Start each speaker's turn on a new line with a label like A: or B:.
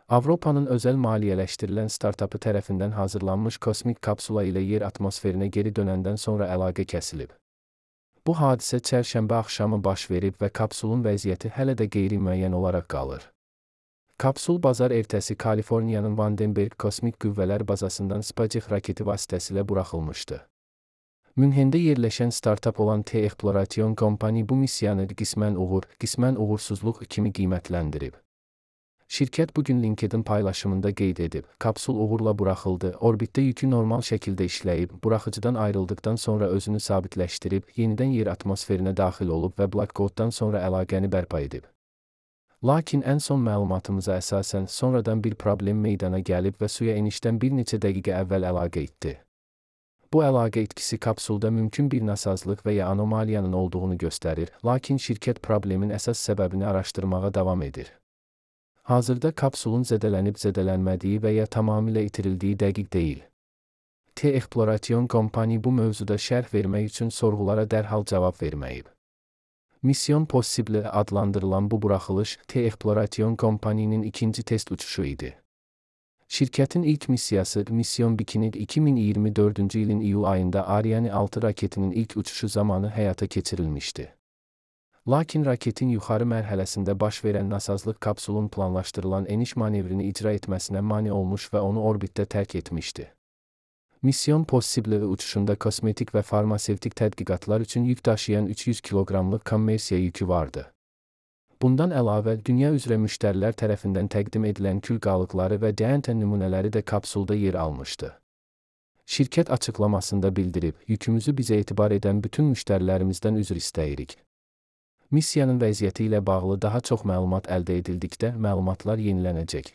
A: Avropanın özəl maliyyələşdirilən startapı tərəfindən hazırlanmış kosmik kapsula ilə yer atmosferinə geri dönəndən sonra əlaqə kəsilib. Bu hadisə çərşənbə axşamı baş verib və kapsulun vəziyyəti hələ də qeyri-müəyyən olaraq qalır. Kapsul bazar ertəsi Kaliforniyanın Vandenberg Kosmik Qüvvələr Bazasından SpaceX raketi vasitəsilə buraxılmışdı. Münhendə yerləşən startap olan T-Exploration Company bu missiyanı qismən uğur, qismən uğursuzluq kimi qiymətləndirib. Şirkət bugün LinkedIn paylaşımında qeyd edib, kapsul uğurla buraxıldı, orbitdə yükü normal şəkildə işləyib, buraxıcıdan ayrıldıqdan sonra özünü sabitləşdirib, yenidən yer atmosferinə daxil olub və blackoutdan sonra əlaqəni bərpa edib. Lakin ən son məlumatımıza əsasən sonradan bir problem meydana gəlib və suya enişdən bir neçə dəqiqə əvvəl əlaqə etdi. Bu əlaqə etkisi kapsulda mümkün bir nasazlıq və ya anomaliyanın olduğunu göstərir, lakin şirkət problemin əsas səbəbini araşdırmağa davam edir. Hazırda kapsulun zədələnib-zədələnmədiyi və ya tamamilə itirildiyi dəqiq deyil. T-Exploration Company bu mövzuda şərh vermək üçün sorğulara dərhal cavab verməyib. Mission Possible adlandırılan bu buraxılış T-Exploration Company'nin ikinci test uçuşu idi. Şirkətin ilk missiyası Mission Bikini 2024-cü ilin iyul ayında Ariane 6 raketinin ilk uçuşu zamanı həyata keçirilmişdi. Lakin raketin yuxarı mərhələsində baş verən nasazlıq kapsulun planlaşdırılan eniş manevrini icra etməsinə mane olmuş və onu orbitdə tərk etmişdi. Mission Possible uçuşunda kosmetik və farmasevtik tədqiqatlar üçün yük daşıyan 300 kiloqramlıq kommersiya yükü vardı. Bundan əlavə, dünya üzrə müştərilər tərəfindən təqdim edilən kül qalıqları və DNT nümunələri də kapsulda yer almışdı. Şirkət açıqlamasında bildirib, yükümüzü bizə etibar edən bütün müştərilərimizdən üzr istəyirik. Missiyanın vəziyyəti ilə bağlı daha çox məlumat əldə edildikdə məlumatlar yenilənəcək.